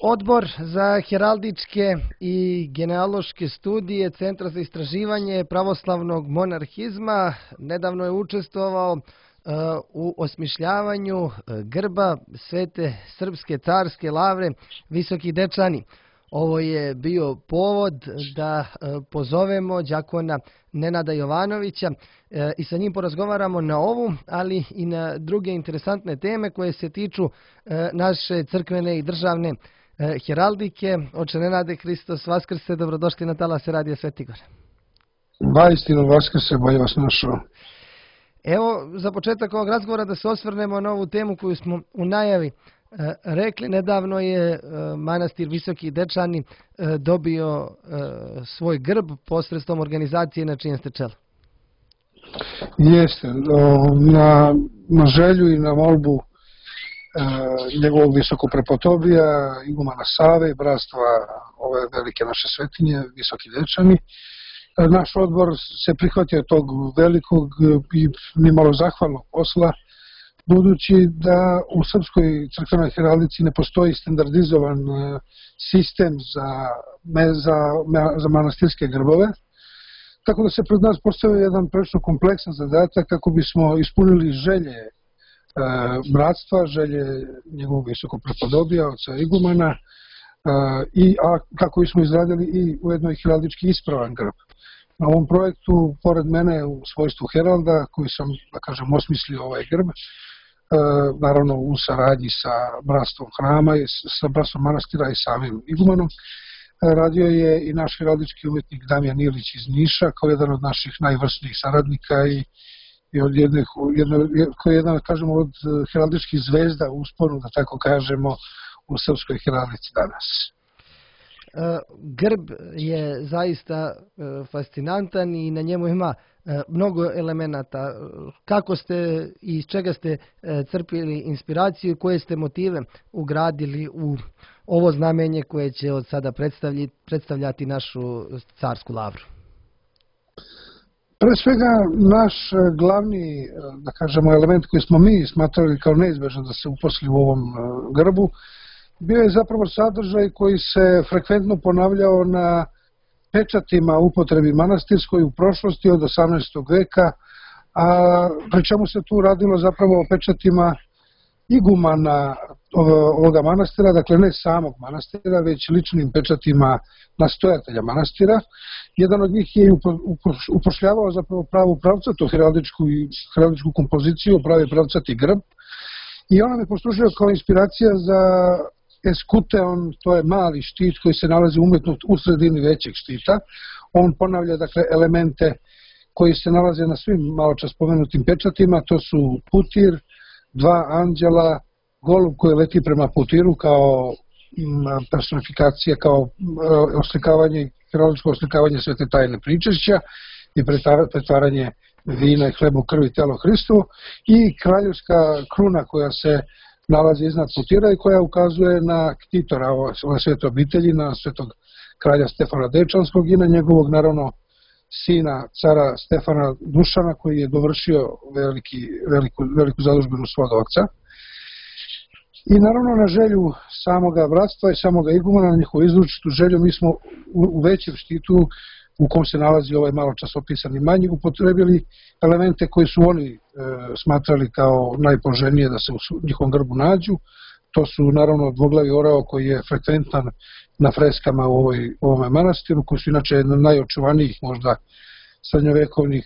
Odbor za heraldičke i genealoške studije Centra za istraživanje pravoslavnog monarhizma nedavno je učestvovao u osmišljavanju grba Svete Srpske carske lavre Visoki Dečani. Ovo je bio povod da pozovemo đakona Nenada Jovanovića i sa njim porazgovaramo na ovu, ali i na druge interesantne teme koje se tiču naše crkvene i državne heraldike. Oče Nenade, Hristos Vaskrse, dobrodošli na talase Radija Svetigor. Vaistinu Vaskrse, bolje vas našao. Evo, za početak ovog razgovora da se osvrnemo na ovu temu koju smo u najavi rekli. Nedavno je manastir Visoki Dečani dobio svoj grb posredstvom organizacije na čijem ste čelu. Jeste, na želju i na molbu njegovog visokoprepotobija, igumana Save, bratstva ove velike naše svetinje, Visoki Dečani, naš odbor se prihvatio tog velikog i nimalo zahvalnog posla, budući da u srpskoj crkvenoj heraldici ne postoji standardizovan sistem za manastirske grbove, tako da se pred nas postavio jedan prilično kompleksan zadatak kako bismo ispunili želje bratstva, želje njegovog visokoprepodobija, oca igumana, a kako bismo izradili i ujedno i heraldički ispravan grb. Na ovom projektu, pored mene u svojstvu heralda, koji sam, da kažem, osmislio ovaj grb, naravno u saradnji sa bratstvom hrama, sa bratstvom manastira i samim igumanom, radio je i naš heraldički umetnik Damjan Ilić iz Niša, kao jedan od naših najvrsnijih saradnika i koji je jedan, kažemo, od heraldičkih zvezda u usponu, da tako kažemo, u srpskoj heraldici danas. Grb je zaista fascinantan i na njemu ima mnogo elemenata. Kako ste i iz čega ste crpili inspiraciju i koje ste motive ugradili u ovo znamenje koje će od sada predstavljati našu carsku lavru? Pre svega, naš glavni, da kažemo, element koji smo mi smatrali kao neizbežan da se uposli u ovom grbu, bio je zapravo sadržaj koji se frekventno ponavljao na pečatima upotrebi manastirskoj u prošlosti od 18. veka, a pri čemu se tu radilo zapravo o pečatima igumana ovoga manastira, dakle ne samog manastira, već ličnim pečatima nastojatelja manastira. Jedan od njih je upošljavao zapravo pravu pravcatu heraldičku kompoziciju, pravi pravcati grb, i ona me poslužila kao inspiracija za eskuteon, to je mali štit koji se nalazi umetno u sredini većeg štita. On ponavlja, dakle, elemente koji se nalaze na svim malo čas spomenutim pečatima, to su putir, dva anđela, golub koji leti prema putiru kao personifikacija, kao oslikavanje, heraldičko oslikavanje svete tajne pričešća i pretvaranje vina i hleba u krv i telo Hristovo, i kraljevska kruna koja se nalazi iznad putira i koja ukazuje na ktitora ove svete obitelji, na svetog kralja Stefana Dečanskog i na njegovog, naravno, sina cara Stefana Dušana, koji je dovršio veliku zadužbinu svog oca. I naravno na želju samoga bratstva i samoga igumana, na njihovu izručitu želju, mi smo u većem štitu u kom se nalazi ovaj malo čas opisani manji, upotrebili elemente koji su oni smatrali kao najpoželjnije da se u njihovom grbu nađu. To su naravno dvoglavi orao koji je frekventan na freskama u ovome manastiru, koji su inače jedna od najočuvanijih možda srednjovekovnih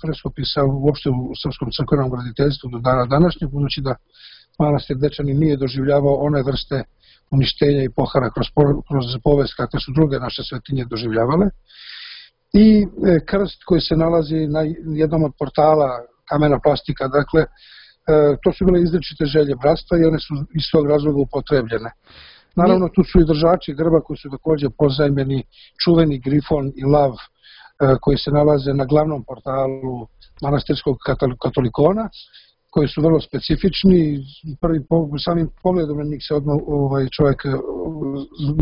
freskopisa uopšte u srpskom crkvenom graditeljstvu do dana današnjeg, budući da manastir Dečani nije doživljavao one vrste uništenja i pohara kroz povest kakve su druge naše svetinje doživljavale. I krst koji se nalazi na jednom od portala, kamena plastika, dakle, to su bile izričite želje bratstva i one su iz svog razloga upotrebljene. Naravno, tu su i držači grba koji su takođe pozajmljeni, čuveni grifon i lav koji se nalaze na glavnom portalu manastirskog katolikona, koji su vrlo specifični. Samim pogledom na njih se odmah čovjek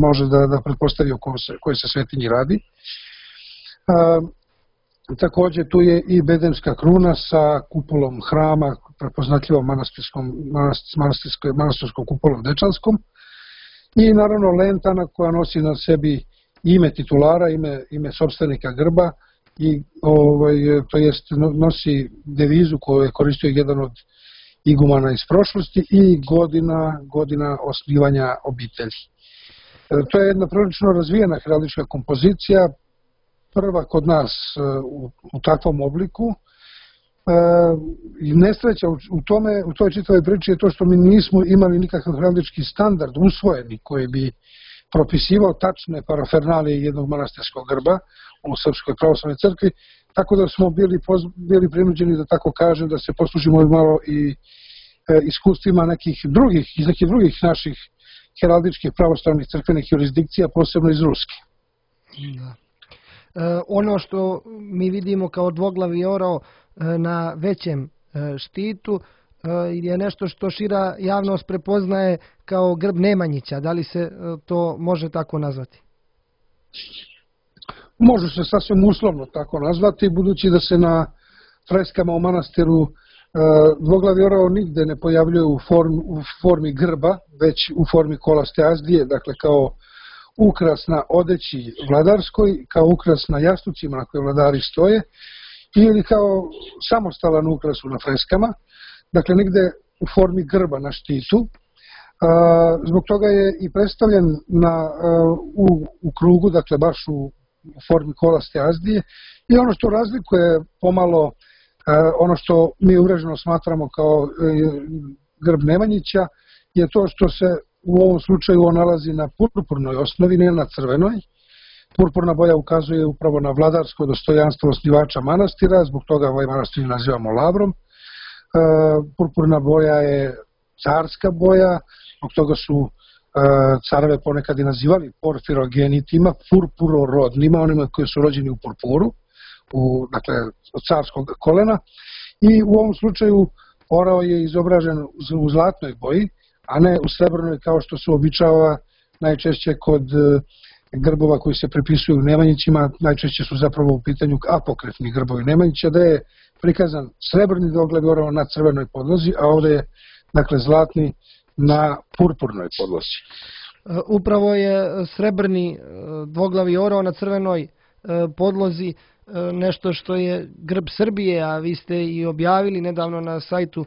može da pretpostavi o kojoj se svetinji radi. Takođe tu je i bedemska kruna sa kupolom hrama, prepoznatljivom manastirskom kupolom dečanskom, i naravno lentana koja nosi na sebi ime titulara, ime sopstvenika grba i to jest nosi devizu koju je koristio jedan od igumana iz prošlosti i godina osnivanja obitelji. To je jedna prilično razvijena heraldička kompozicija, prva kod nas u takvom obliku. Nesreća u toj čitavoj priči je to što mi nismo imali nikakav heraldički standard usvojeni koji bi propisivao tačne parafernalije jednog manastirskog grba u Srpskoj pravoslavnoj crkvi, tako da smo bili prinuđeni, da tako kažem, da se poslužimo malo i iskustvima iz nekih drugih naših heraldičkih pravoslavnih crkvenih jurisdikcija, posebno iz Ruske. Da. Ono što mi vidimo kao dvoglavi orao na većem štitu je nešto što šira javnost prepoznaje kao grb Nemanjića. Da li se to može tako nazvati? Može se sasvim uslovno tako nazvati, budući da se na freskama u manastiru dvoglavi orao nigde ne pojavljuje u formi grba, već u formi kolaste azdije, dakle kao ukras na odeći vladarskoj, kao ukras na jastucima na koje vladari stoje, ili kao samostalan ukras na freskama, dakle nigde u formi grba na štitu. Zbog toga je i predstavljen u krugu, dakle baš u formi kolaste azdije, i ono što razlikuje pomalo ono što mi uvreženo smatramo kao grb Nemanjića je to što se u ovom slučaju on nalazi na purpurnoj osnovi, ne na crvenoj. Purpurna boja ukazuje upravo na vladarsko dostojanstvo osnivača manastira, zbog toga ovaj manastir nazivamo lavrom. Purpurna boja je carska boja, zbog toga su careve ponekad i nazivali porfirogenitima, purpurorodnima, onima koji su rođeni u purpuru, dakle od carskog kolena. I u ovom slučaju orao je izobražen u zlatnoj boji, a ne u srebrnoj kao što se običava najčešće kod grbova koji se pripisuju Nemanjićima. Najčešće su zapravo u pitanju apokrefni grbovi Nemanjića, da je prikazan srebrni dvoglavi orao na crvenoj podlozi, a ovde je dakle zlatni na purpurnoj podlozi. Upravo je srebrni dvoglavi orao na crvenoj podlozi nešto što je grb Srbije, a vi ste i objavili nedavno na sajtu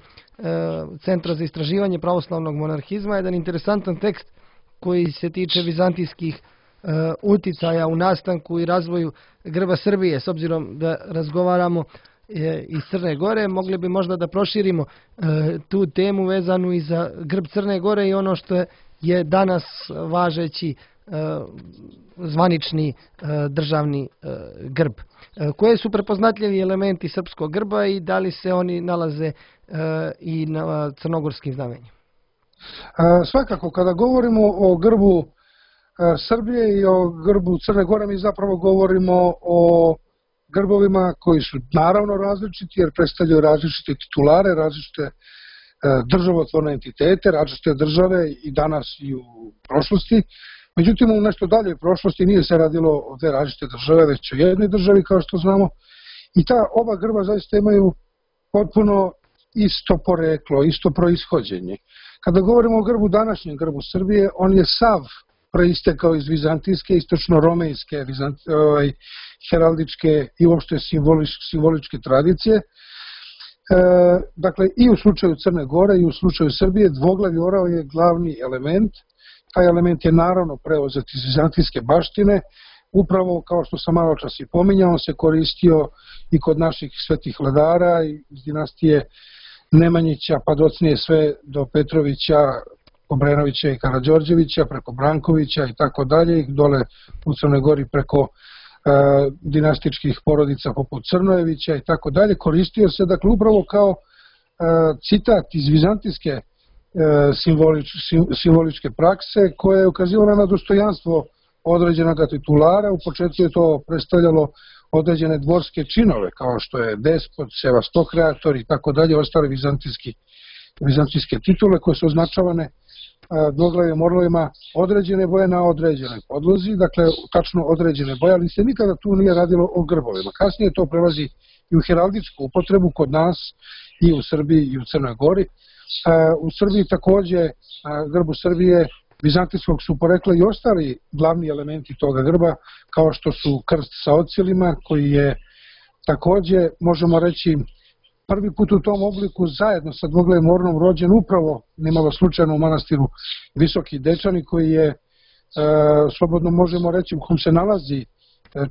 Centra za istraživanje pravoslavnog monarhizma jedan interesantan tekst koji se tiče vizantijskih uticaja u nastanku i razvoju grba Srbije. S obzirom da razgovaramo iz Crne Gore, mogli bi možda da proširimo tu temu vezanu i za grb Crne Gore i ono što je danas važeći zvanični državni grb. Koje su prepoznatljivi elementi srpskog grba i da li se oni nalaze i na crnogorskim znamenjima? Svakako, kada govorimo o grbu Srbije i o grbu Crne Gore, mi zapravo govorimo o grbovima koji su naravno različiti, jer predstavljaju različite titulare, različite državotvorne entitete, različite države i danas i u prošlosti. Međutim, u nešto daljoj prošlosti nije se radilo o dve različite države, već o jednoj državi, kao što znamo. I ta oba grba zaista imaju potpuno isto poreklo, isto proishođenje. Kada govorimo o grbu, današnjem grbu Srbije, on je sav proistekao iz vizantijske, istočno-romejske, heraldičke i uopšte simboličke tradicije. Dakle, i u slučaju Crne Gore i u slučaju Srbije dvoglavi orao je glavni element. Taj element je naravno preuzet iz vizantijske baštine. Upravo, kao što sam malo čas i pominjao, on se koristio i kod naših svetih vladara iz dinastije Nemanjića, pa docnije sve do Petrovića, Obrenovića i Karađorđevića, preko Brankovića i tako dalje, i dole u Crnoj Gori preko dinastičkih porodica poput Crnojevića i tako dalje. Koristio se, dakle, upravo kao citat iz vizantijske simboličke prakse koja je ukazivala na dostojanstvo određenog titulara. U početku je to predstavljalo određene dvorske činove, kao što je despot, sevastokreator i tako dalje, ostale vizantijske titule koje su označavane dvoglavim orlovima određene boje na određenoj podlozi, dakle tačno određene boje, ali se nikada tu nije radilo o grbovima. Kasnije to prelazi i u heraldičku upotrebu kod nas i u Srbiji i u Crnoj Gori. U Srbiji takođe, grbu Srbije vizantijskog su porekla i ostali glavni elementi toga grba, kao što su krst sa ocilima, koji je takođe, možemo reći, prvi put u tom obliku zajedno sa dvoglavim orlom rođen upravo nimalo slučajno u manastiru Visoki Dečani, koji je, slobodno možemo reći, u kom se nalazi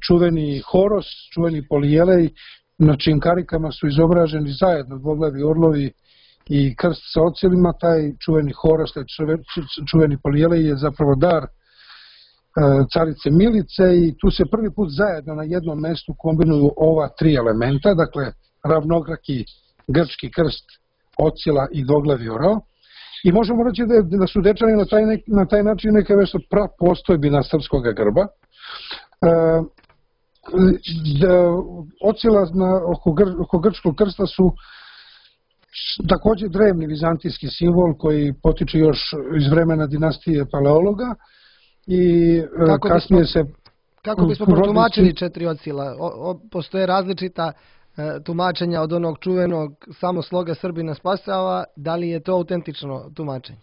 čuveni Horos, čuveni Polijelej, na čijim karikama su izobraženi zajedno dvoglavi orlovi i krst sa ocilima. Taj čuveni Horos, taj čuveni Polijelej je zapravo dar carice Milice i tu se prvi put zajedno na jednom mestu kombinuju ova tri elementa, dakle ravnograki grčki krst, ocila i dvoglavi orao. I možemo reći da su Dečani na taj način neka vrsta prapostojbina srpskog grba. Ocila oko grčkog krsta su takođe drevni vizantijski simbol koji potiče još iz vremena dinastije Paleologa i kasnije se... Kako bismo protumačili četiri ocila? Postoje različita tumačenja od onog čuvenog samo sloga Srbina spasava, da li je to autentično tumačenje?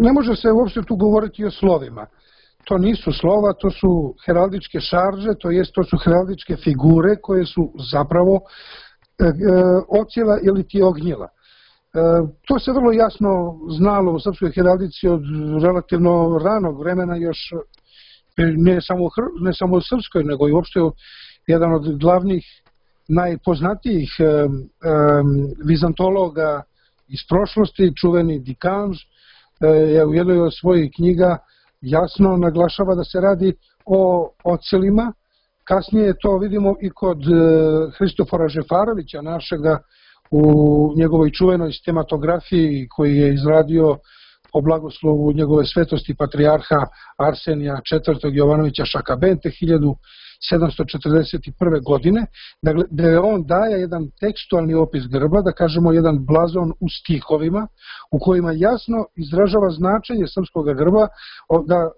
Ne može se uopšte tu govoriti o slovima. To nisu slova, to su heraldičke šarže, to su heraldičke figure koje su zapravo ocila ili ti ognjila. To se vrlo jasno znalo u srpskoj heraldici od relativno ranog vremena, još ne samo u srpskoj, nego i uopšte jedan od glavnih, najpoznatijih vizantologa iz prošlosti, čuveni Dikanž, je u jednoj od svojih knjiga jasno naglašava da se radi o ocilima. Kasnije to vidimo i kod Hristofora Žefarovića, našega, u njegovoj čuvenoj stematografiji koji je izradio po blagoslovu njegove svetosti patrijarha Arsenija IV. Jovanovića Šakabente 1741. godine, gde on daje jedan tekstualni opis grba, da kažemo jedan blazon u stihovima, u kojima jasno izražava značenje srpskog grba,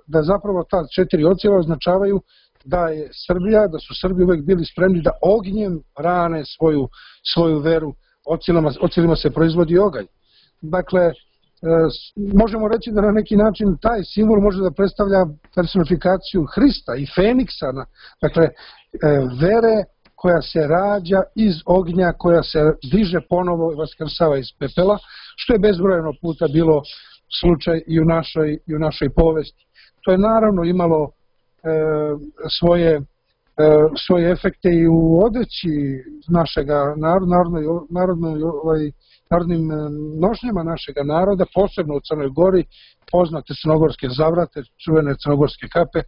da zapravo ta četiri ocila označavaju da je Srbija, da su Srbi uvek bili spremni da ognjem rane svoju veru, ocilima se proizvodi oganj. Dakle, možemo reći da na neki način taj simbol može da predstavlja personifikaciju Hrista i Feniksa, dakle, vere koja se rađa iz ognja, koja se diže ponovo i vaskrsava iz pepela, što je bezbrojeno puta bilo slučaj i u našoj povesti. To je naravno imalo svoje efekte i u odeći našega narodnim nošnjama našega naroda, posebno u Crnoj Gori, poznate crnogorske zavrate, čuvene crnogorske kape,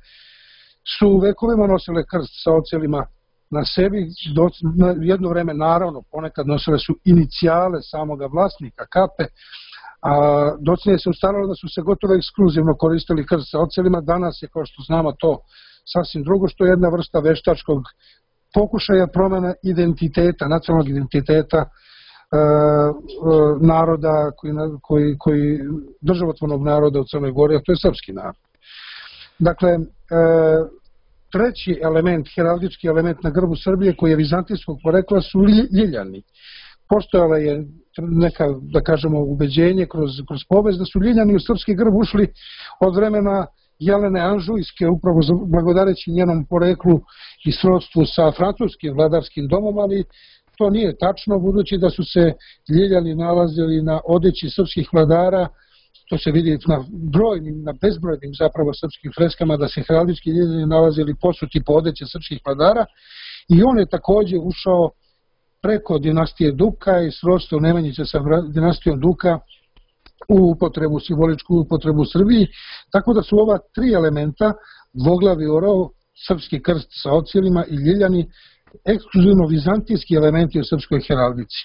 su vekovima nosile krst sa ocilima na sebi. Jedno vreme, naravno, ponekad nosile su inicijale samoga vlasnika kape, a docnije se ustalilo da su se gotovo ekskluzivno koristili krst sa ocilima. Danas je, kao što znamo, to sasvim drugo, što je jedna vrsta veštačkog pokušaja promene identiteta, nacionalnog identiteta naroda, državotvornog naroda u Crnoj Gori, a to je srpski narod. Dakle, treći element, heraldički element na grbu Srbije, koji je vizantijskog porekla, su ljiljani. Postojala je neka, da kažemo, ubeđenje kroz povest da su ljiljani u srpski grb ušli od vremena Jelene Anžujske, upravo blagodareći njenom poreklu i srodstvu sa francuskim vladarskim domom, ali to nije tačno, budući da su se ljiljani nalazili na odeći srpskih vladara. To se vidi na bezbrojnim zapravo srpskim freskama, da se heraldički ljiljani nalazili posuti po odeće srpskih vladara, i on je takođe ušao preko dinastije Duka i srodstvo Nemanjića sa dinastijom Duka u simboličku upotrebu u Srbiji, tako da su ova tri elementa, dvoglavi orao, srpski krst sa ocilima i ljiljani, ekskluzivno vizantijski elementi u srpskoj heraldici.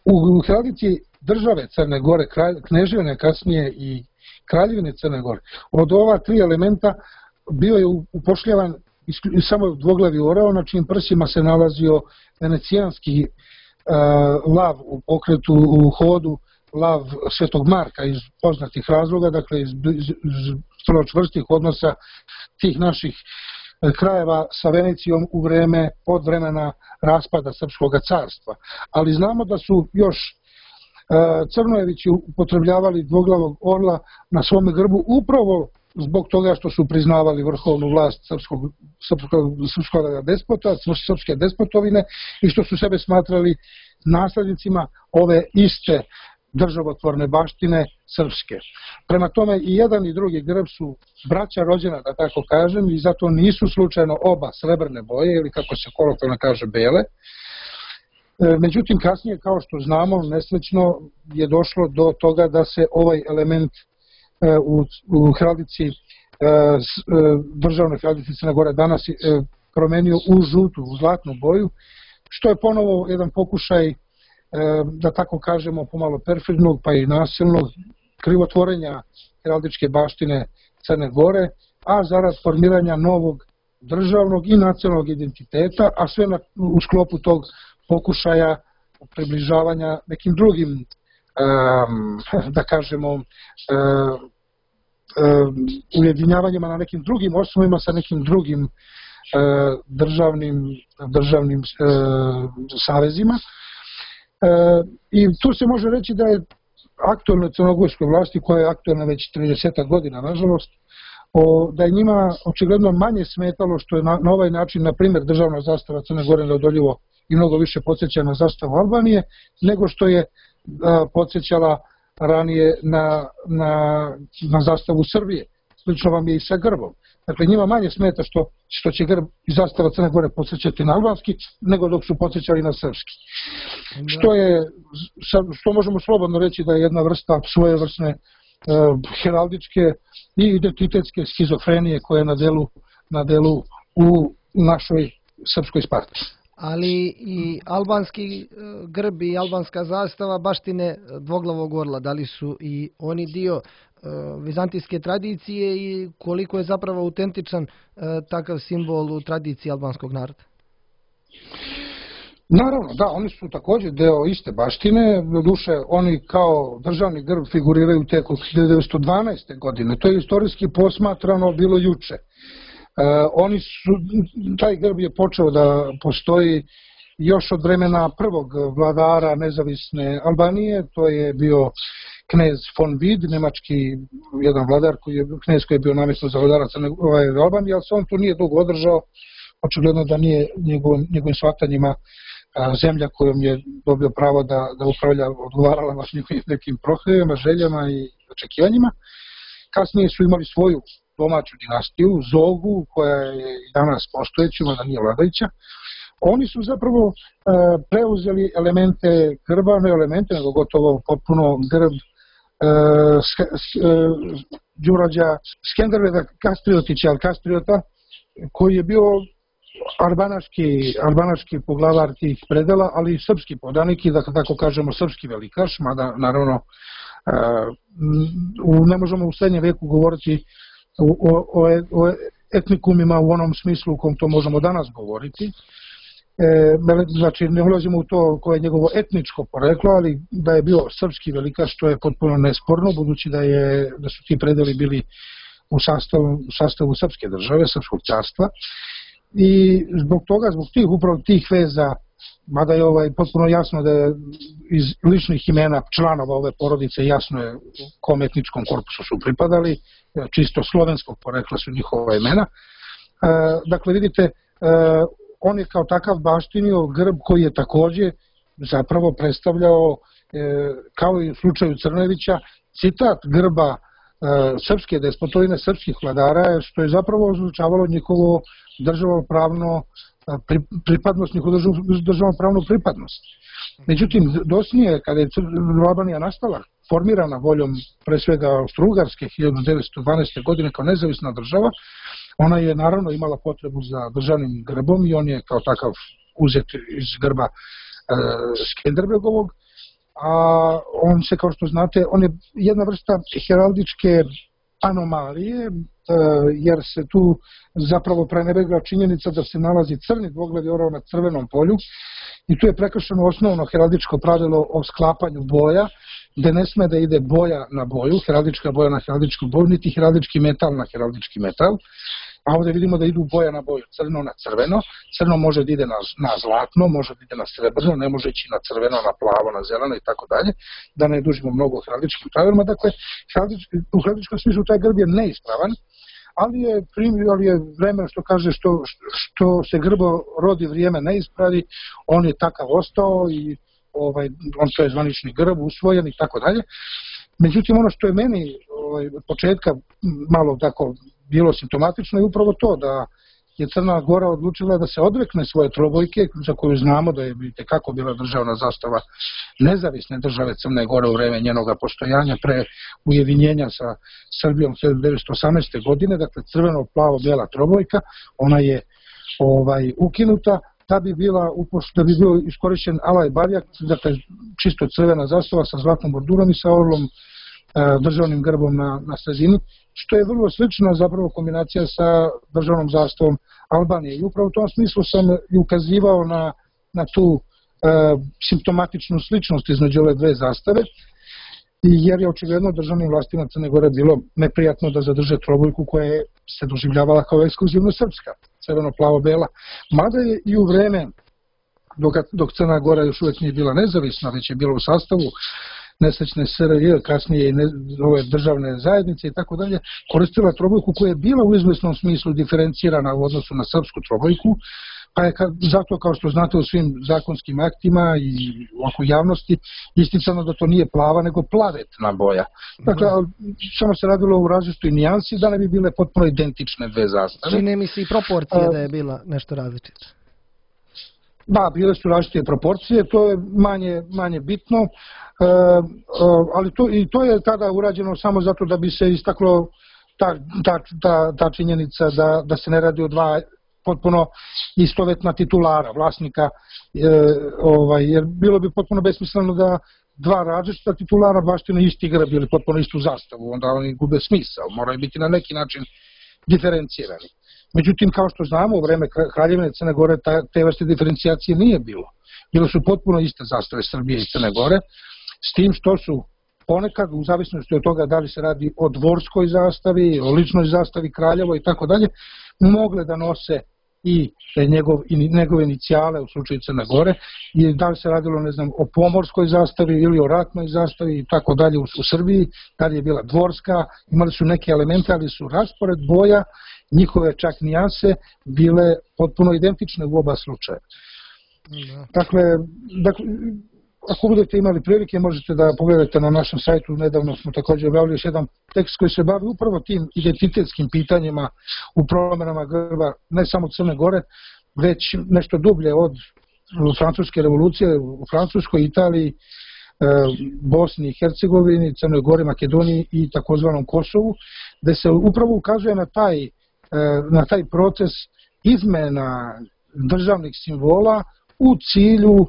U heraldici države Crne Gore, kneževine kasnije i kraljevine Crne Gore, od ova tri elementa bio je upošljavan samo dvoglavi orao, na čijim prsima se nalazio venecijanski lav u pokretu, u hodu, lav Svetog Marka iz poznatih razloga, dakle iz vrlo čvrstih odnosa tih naših krajeva sa Venecijom od vremena raspada Srpskog carstva. Ali znamo da su još Crnojevići upotrebljavali dvoglavog orla na svome grbu upravo zbog toga što su priznavali vrhovnu vlast srpskog despota, srpske despotovine i što su sebe smatrali naslednicima ove iste državotvorne baštine srpske. Prema tome i jedan i drugi grb su braća rođena, da tako kažem, i zato nisu slučajno oba srebrne boje ili kako se kolokvijalno kaže bele. Međutim, kasnije, kao što znamo, nesrećno je došlo do toga da se ovaj element u heraldici, državnoj heraldici Crne Gore danas promenio u žutu, u zlatnu boju, što je ponovo jedan pokušaj, da tako kažemo, pomalo perfidnog pa i nasilnog krivotvorenja heraldičke baštine Crne Gore, a zarad formiranja novog državnog i nacionalnog identiteta, a sve u sklopu tog pokušaja približavanja nekim drugim, da kažemo, ujedinjavanjima na nekim drugim osnovima sa nekim drugim državnim savezima. I tu se može reći da je aktualnoj crnogorskoj vlasti, koja je aktualna već 30 godina, nažalost, da je njima očigledno manje smetalo što je na ovaj način, na primjer, državna zastava Crne Gore neodoljivo i mnogo više podsjeća na zastavu Albanije, nego što je podsjećala ranije na zastavu Srbije. Slično vam je i sa grbom. Dakle, njima manje smeta što će grb i zastava Crne Gore podsjećati na albanski, nego dok su podsjećali na srpski. Što možemo slobodno reći da je jedna vrsta svojevrsne heraldičke i identitetske schizofrenije koja je na delu u našoj srpskoj Sparti. Ali i albanski grb i albanska zastava baštine dvoglavog orla, da li su i oni dio vizantijske tradicije i koliko je zapravo autentičan takav simbol u tradiciji albanskog naroda? Naravno, da, oni su također deo iste baštine, doduše oni kao državni grb figuriraju tek od 1912. godine, to je istorijski posmatrano bilo juče. Taj grb je počeo da postoji još od vremena prvog vladara nezavisne Albanije, to je bio knez von Vid, nemački jedan vladar, knez koji je bio namjesno za vladara Albanije, ali se on tu nije dugo održao, očigledno da nije njegovim shvatanjima zemlja kojom je dobio pravo da upravlja odgovarala baš njihovim nekim prohtjevima, željama i očekivanjima. Kasnije su imali svoju domaću dinastiju, Zogu, koja je i danas postojeća, mada nije vladajuća. Oni su zapravo preuzeli elemente grba, ne elemente, nego gotovo potpuno grb Đurađa Skenderbega Kastriotića, Kastriota, koji je bio albanaški poglavar tih predela, ali i srpski podanik i, da tako kažemo, srpski velikaš, mada naravno ne možemo u srednjem veku govoriti o etnikumima u onom smislu u kom to možemo danas govoriti. Znači, ne ulazimo u to koje je njegovo etničko poreklo, ali da je bio srpski velikaš, to je potpuno nesporno, budući da su ti predeli bili u sastavu srpske države, srpskog carstva. I zbog tih upravo tih veza, mada je potpuno jasno da je iz ličnih imena članova ove porodice jasno je kom etničkom korpusu su pripadali, čisto slovenskog porekla su njihova imena. Dakle, vidite, on je kao takav baštinio grb koji je također zapravo predstavljao, kao i u slučaju Crnojevića, citat grba srpske despotovine, srpskih vladara, što je zapravo označavalo njihovo državnopravno pripadnost, njihovu državnopravnu pripadnost. Međutim, dosnije, kada je Albanija nastala, formirana voljom pre svega Austro-Ugarske 1912. godine kao nezavisna država, ona je naravno imala potrebu za državnim grbom i on je kao takav uzet iz grba Skenderbegovog, a on se, kao što znate, on je jedna vrsta heraldičke anomalije, jer se tu zapravo prenebregla činjenica da se nalazi crni dvoglavi orao na crvenom polju i tu je prekršeno osnovno heraldičko pravilo o sklapanju boja, gde ne sme da ide boja na boju, heraldička boja na heraldičku boju, niti heraldički metal na heraldički metal. a ovdje vidimo da idu boja na boju, crno na crveno, crno može da ide na zlatno, može da ide na srebrno, ne može ići na crveno, na plavo, na zeleno i tako dalje, da ne dužimo mnogo o heraldičkim pravilima. Dakle, u heraldičkom smislu taj grb je neispravan, ali je vreme što kaže što se grbo rodi vrijeme ne ispravi, on je takav ostao i on to je zvanični grb, usvojen i tako dalje. Međutim, ono što je meni od početka malo tako bilo simptomatično je upravo to da je Crna Gora odlučila da se odrekne svoje trobojke, za koju znamo da je itekako bila državna zastava nezavisne države Crne Gore u vreme njenoga postojanja pre ujedinjenja sa Srbijom 1918. godine, dakle crveno-plavo-bijela trobojka, ona je ukinuta da bi bio iskorišćen alaj barjak, dakle čisto crvena zastava sa zlatnom bordurom i sa orlom državnim grbom na sredini, što je vrlo slična zapravo kombinacija sa državnom zastavom Albanije. I upravo u tom smislu sam i ukazivao na tu simptomatičnu sličnost između ove dve zastave, jer je očigledno državnim vlastima Crne Gore bilo neprijatno da zadrže trobojku koja se doživljavala kao ekskluzivno srpska, crveno-plavo-bela. Mada je i u vreme dok Crna Gora još uvijek nije bila nezavisna, već je bila u sastavu nesrećne SRJ, kasnije i ove državne zajednice i tako dalje, koristila trobojku koja je bila u izvesnom smislu diferencirana u odnosu na srpsku trobojku, pa je zato, kao što znate, u svim zakonskim aktima i oko javnosti isticano da to nije plava, nego plavetna boja. Dakle, samo se radilo u različitoj nijansi da ne bi bile potpuno identične dve zastave. Čini mi se i proporcija da je bila nešto različita. Da, bile su različite proporcije, to je manje bitno, ali to je tada urađeno samo zato da bi se istaklo ta činjenica da se ne radi o dva potpuno istovetna titulara, vlasnika, jer bilo bi potpuno besmisleno da dva različita titulara baštine isti grb ili potpuno istu zastavu, onda oni gube smisao, moraju biti na neki način diferencirani. Međutim, kao što znamo, u vreme Kraljevine Crne Gore te vrste diferencijacije nije bilo. Bile su potpuno iste zastave Srbije i Crne Gore, s tim što su ponekad, u zavisnosti od toga da li se radi o dvorskoj zastavi, o ličnoj zastavi Kraljevo i tako dalje, mogle da nose i njegove inicijale u slučaju Crne Gore, i da li se radilo, ne znam, o pomorskoj zastavi ili o ratnoj zastavi i tako dalje u Srbiji, da li je bila dvorska, imali su neke elemente, ali su raspored boja, njihove čak nijanse bile potpuno identične u oba slučaja. Dakle, ako budete imali prilike, možete da pogledate na našem sajtu, nedavno smo također objavili još jedan tekst koji se bavi upravo tim identitetskim pitanjima u promenama grba, ne samo Crne Gore, već nešto dublje od francuske revolucije u Francuskoj, Italiji, Bosni i Hercegovini, Crnoj Gori, Makedoniji i takozvanom Kosovu, gde se upravo ukazuje na taj proces izmena državnih simbola u cilju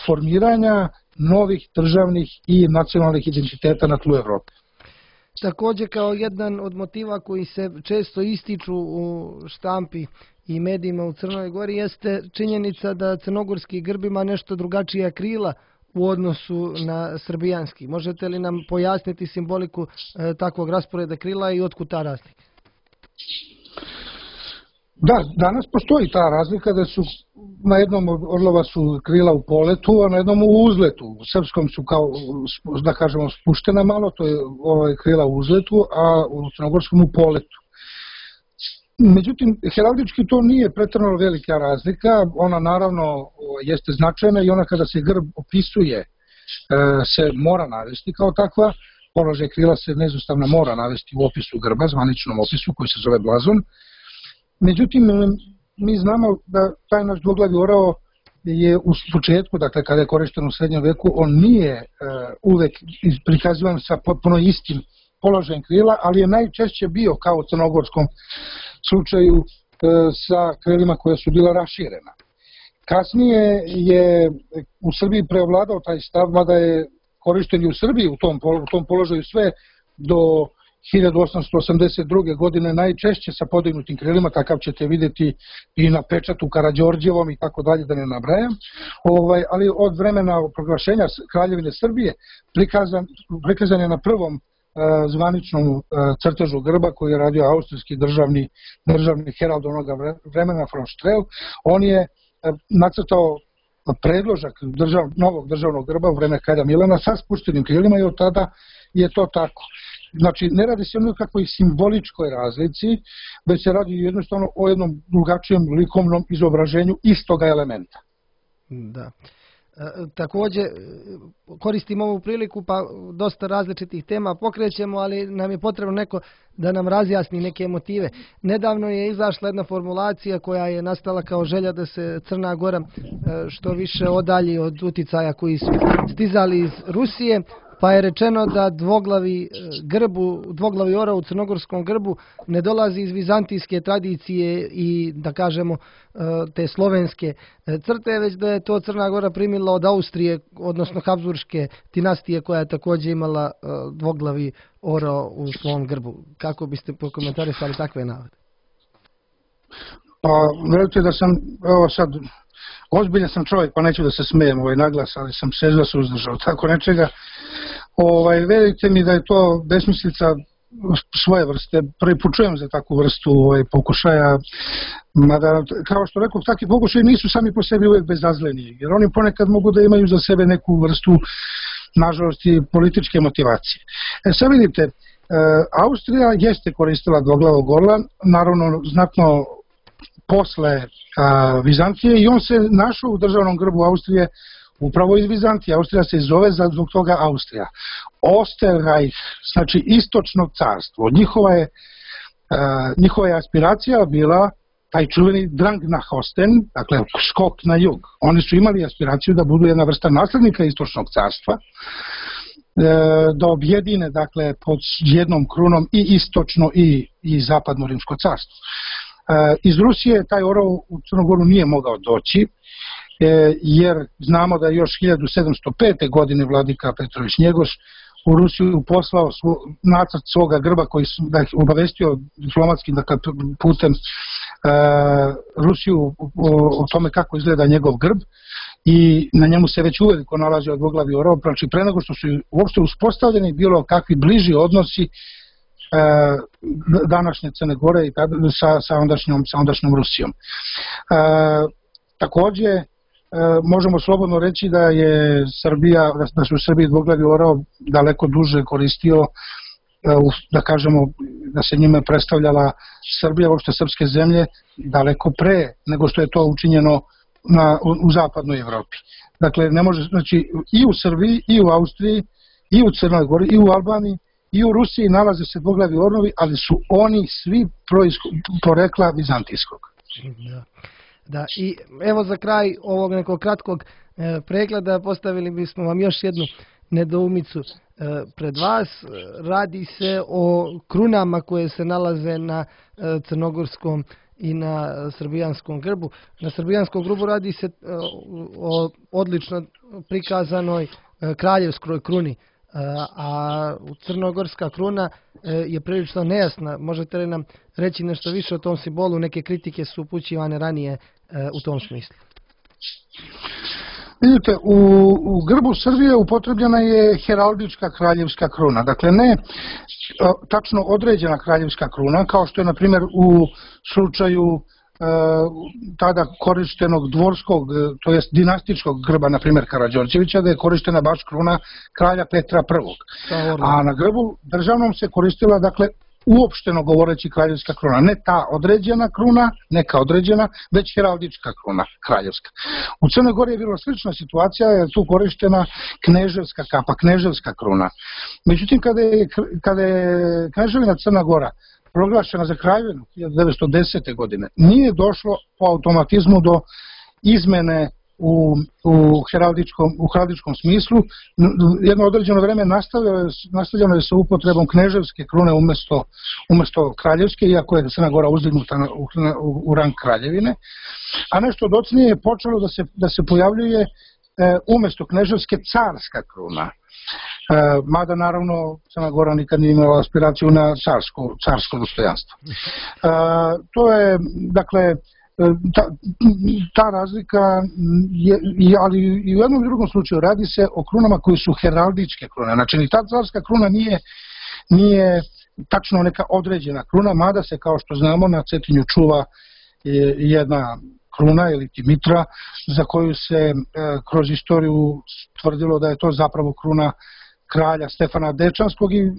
formiranja novih državnih i nacionalnih identiteta na tlu Evrope. Također, kao jedan od motiva koji se često ističu u štampi i medijima u Crnoj Gori jeste činjenica da crnogorski grb ima nešto drugačija krila u odnosu na srbijanski. Možete li nam pojasniti simboliku takvog rasporeda krila i otkud ta razlika? Da, danas postoji ta razlika da su na jednom od orlova su krila u poletu, a na jednom u uzletu. U srpskom su kao, da kažemo, spuštena malo, to je krila u uzletu, a u crnogorskom u poletu. Međutim, heraldički to nije pretjerano velika razlika, ona naravno jeste značajna i ona kada se grb opisuje se mora navesti kao takva, položaj krila se nezustavno mora navesti u opisu grba, zvaničnom opisu koji se zove blazon. Međutim, mi znamo da taj naš dvoglavi orao je u početku, dakle kada je korišten u srednjem veku, on nije uvek prikazivan sa potpuno istim položajem krila, ali je najčešće bio kao u crnogorskom slučaju sa krilima koja su bila raširena. Kasnije je u Srbiji preovladao taj stav, mada je korišten i u Srbiji u tom položaju sve do 1882. godine najčešće sa podignutim krilima, takav ćete vidjeti i na pečatu Karađorđevom i tako dalje, da ne nabrajam, ali od vremena proglašenja Kraljevine Srbije prikazan je na prvom zvaničnom crtežu grba koji je radio austrijski državni herald onoga vremena von Strel. On je nacrtao predložak novog državnog grba u vreme kralja Milana sa spuštenim krilima i od tada je to tako. Znači, ne radi se o nekakvoj simboličkoj razlici, već se radi jednostavno o jednom drugačijem likovnom izobraženju istoga elementa. Da. Također, koristim ovu priliku, pa dosta različitih tema pokrećemo, ali nam je potrebno neko da nam razjasni neke motive. Nedavno je izašla jedna formulacija koja je nastala kao želja da se Crna Gora što više odalji od uticaja koji su stizali iz Rusije, pa je rečeno da dvoglavi orao u crnogorskom grbu ne dolazi iz vizantijske tradicije i, da kažemo, te slovenske crte, već da je to Crna Gora primila od Austrije, odnosno Habsburške dinastije koja je također imala dvoglavi orao u svom grbu. Kako biste prokomentarisali takve navode? Pa, verujte da sam, evo sad, ozbiljan sam čovjek, pa neću da se smijem naglas, ali sam se suzdržao tako nečega. Verujte mi da je to besmislica svoje vrste. Prvi put čujem za takvu vrstu pokušaja, mada, kao što rekao, takvi pokušaji nisu sami po sebi uvijek bezazleni, jer oni ponekad mogu da imaju za sebe neku vrstu, nažalost, i političke motivacije. Sad vidite, Austrija jeste koristila dvoglavog orla, naravno znatno posle Vizantije, i on se našao u državnom grbu Austrije upravo iz Vizantije. Austrija se zove zbog toga Austrija. Osterreich, znači istočno carstvo. Njihova je aspiracija bila taj čuveni Drang nach Osten, dakle skok na jug. Oni su imali aspiraciju da budu jedna vrsta naslednika istočnog carstva, da objedine, dakle, pod jednom krunom i istočno i zapadno rimsko carstvo. Iz Rusije taj orao u Crnogoru nije mogao doći, jer znamo da je još 1705. godine vladika Petrović Njegoš u Rusiju poslao nacrt svoga grba koji da je obavestio diplomatskim putem Rusiju o tome kako izgleda njegov grb, i na njemu se već uveliko nalazio dvoglavi orao. Znači, pre nego što su uopšte uspostavljeni bilo kakvi bliži odnosi današnje Crne Gore i sa ondašnjom Rusijom. Takođe, možemo slobodno reći da se u Srbiji dvoglavi orao daleko duže koristio, da kažemo, da se njime predstavljala Srbija, uopšte srpske zemlje, daleko pre nego što je to učinjeno u zapadnoj Evropi. Dakle, ne može, znači, i u Srbiji, i u Austriji, i u Crnoj Gori, i u Albaniji, i u Rusiji nalaze se dvoglavi orlovi, ali su oni svi porekla vizantijskog. Da, i evo za kraj ovog nekog kratkog pregleda postavili bismo vam još jednu nedoumicu pred vas. Radi se o krunama koje se nalaze na crnogorskom i na srbijanskom grbu. Na srbijanskom grbu radi se o odlično prikazanoj kraljevskoj kruni, a crnogorska kruna je prilično nejasna. Možete li nam reći nešto više o tom simbolu? Neke kritike su upućivane ranije u tom smislu. Vidite, u grbu Srbije upotrebljena je heraldička kraljevska kruna. Dakle, ne tačno određena kraljevska kruna, kao što je, na primjer, u slučaju tada korištenog dvorskog, to jest dinastičkog grba, na primjer Karađorđevića, da je korištena baš kruna kralja Petra I. A na grbu državnom se koristila, dakle, uopšteno govoreći kraljevska kruna. Ne ta određena kruna, neka određena, već heraldička kruna kraljevska. U Crnoj Gori je bila slična situacija, jer tu korištena kneževska kapa, kneževska kruna. Međutim, kada je Kneževina Crna Gora proglašena za kraljevinu 1910. godine, nije došlo po automatizmu do izmene u heraldičkom smislu. Jedno određeno vreme nastavljeno je sa upotrebom kneževske krune umesto kraljevske, iako je Crna Gora uzdignuta u rang kraljevine, a nešto docnije je počelo da se pojavljuje umesto kneževske carska kruna. Mada naravno Crna Gora nikad nije imala aspiraciju na carsko dostojanstvo. To je, dakle, ta razlika, ali i u jednom i drugom slučaju radi se o krunama koji su heraldičke krune. Znači, ni ta carska kruna nije tačno neka određena kruna, mada se, kao što znamo, na Cetinju čuva jedna kruna ili mitra za koju se kroz istoriju tvrdilo da je to zapravo kruna kralja Stefana Dečanskog i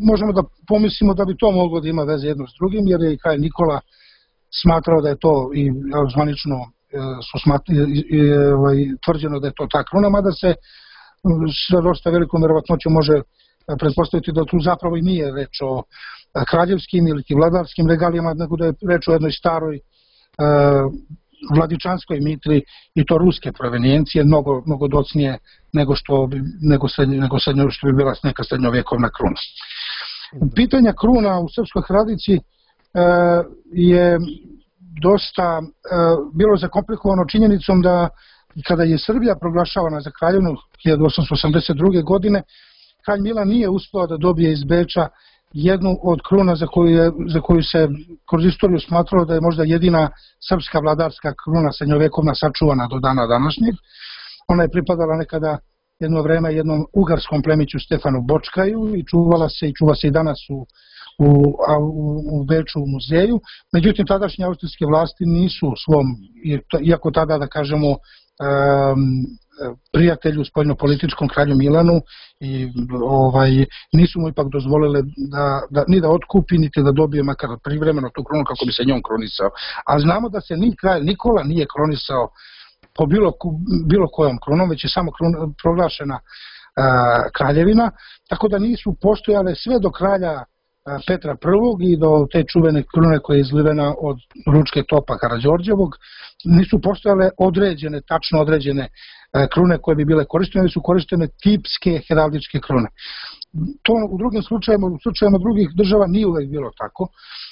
možemo da pomislimo da bi to moglo da ima veze jedno s drugim, jer je i kralj Nikola smatrao da je to i zvanično tvrđeno da je to ta kruna, mada se sa dosta velikom verovatnoćom može pretpostaviti da tu zapravo i nije reč o kraljevskim ili vladarskim regalijama, nego da je reč o jednoj staroj vladičanskoj mitri i to ruske provenijencije, mnogo docnije nego što bi bila neka srednjovjekovna kruna. Pitanje kruna u srpskoj tradiciji je dosta bilo zakomplikovano činjenicom da kada je Srbija proglašavana za kraljevinu 1882. godine, kralj Milan nije uspeo da dobije iz Beča jednu od kruna za koju se kroz istoriju smatralo da je možda jedina srpska vladarska kruna srednjovjekovna sačuvana do dana današnjeg. Ona je pripadala nekada jedno vreme jednom ugarskom plemiću Stefanu Bočkaju i čuva se i danas u Beču u muzeju. Međutim, tadašnje austrijske vlasti nisu u svom, iako tada da kažemo prijatelju spoljnopolitičkom kralju Milanu i nisu mu ipak dozvolile ni da otkupi, niti da dobije makar privremeno tu krunu kako bi se njom kronisao. A znamo da se ni kralj Nikola nije kronisao po bilo kojom krunom, već je samo proglašena kraljevina, tako da nisu postojale sve do kralja Petra I i do te čuvene krune koja je izlivena od ručke topa Karađorđevog, nisu postojale tačno određene krune koje bi bile korištene, su korištene tipske heraldičke krune. To u drugim slučajima, u slučajima drugih država nije uvek bilo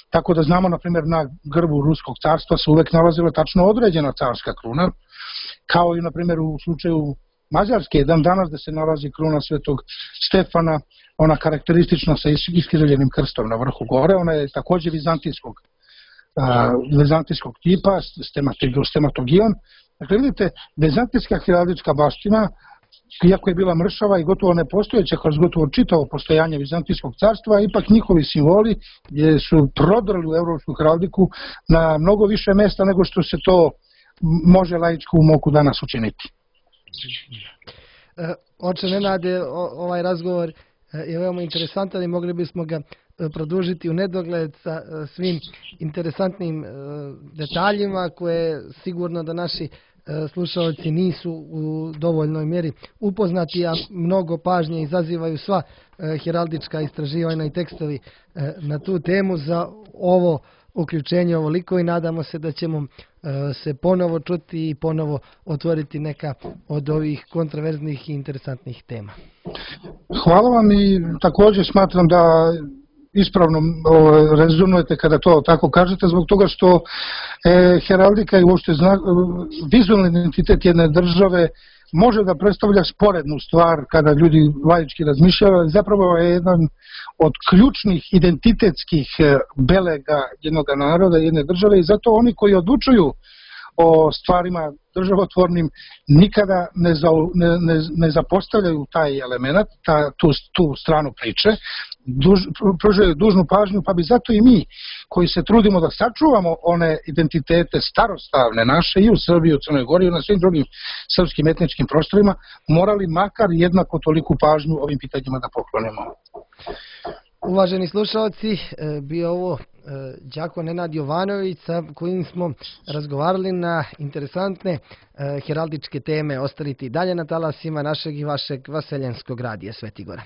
tako da znamo, na primjer, na grbu Ruskog carstva se uvek nalazila tačno određena carska kruna, kao i, na primjer, u slučaju Mađarske, danas da se nalazi kruna Svetog Stefana, ona karakteristična sa iskrivenim krstom na vrhu gore, ona je takođe vizantijskog tipa, stematogion. Dakle, vidite, vizantijska heraldička baština, iako je bila mršava i gotovo nepostojeća kroz gotovo čitavo postojanje Vizantijskog carstva, ipak njihovi simboli su prodrli u evropsku heraldiku na mnogo više mesta nego što se to može laičko u moku danas učiniti. Oče Nenade, ovaj razgovor je veoma interesantan i mogli bismo ga produžiti u nedogled sa svim interesantnim detaljima koje sigurno da naši slušalci nisu u dovoljnoj mjeri upoznati, a mnogo pažnje izazivaju sva heraldička istraživanja i tekstovi na tu temu. Za ovo uključenje ovoliko i nadamo se da ćemo se ponovo čuti i ponovo otvoriti neka od ovih kontraverznih i interesantnih tema. Hvala vam i također smatram da ispravno rezonujete kada to tako kažete, zbog toga što heraldika i uopšte vizualni identitet jedne države može da predstavlja sporednu stvar kada ljudi laički razmišljaju, zapravo je jedan od ključnih identitetskih belega jednog naroda, jedne države i zato oni koji odlučuju o stvarima državotvornim nikada ne zapostavljaju taj element, tu stranu priče, pružaju dužnu pažnju, pa bi zato i mi koji se trudimo da sačuvamo one identitete starostavne naše i u Srbiji, u Crnoj Gori i na svim drugim srpskim etničkim prostorima, morali makar jednako toliku pažnju ovim pitanjima da poklonimo. Uvaženi slušalci, bio ovo đako Nenad Jovanović sa kojim smo razgovarali na interesantne heraldičke teme. Ostanite i dalje na talasima našeg i vašeg vaseljenskog radija Sveti Gora.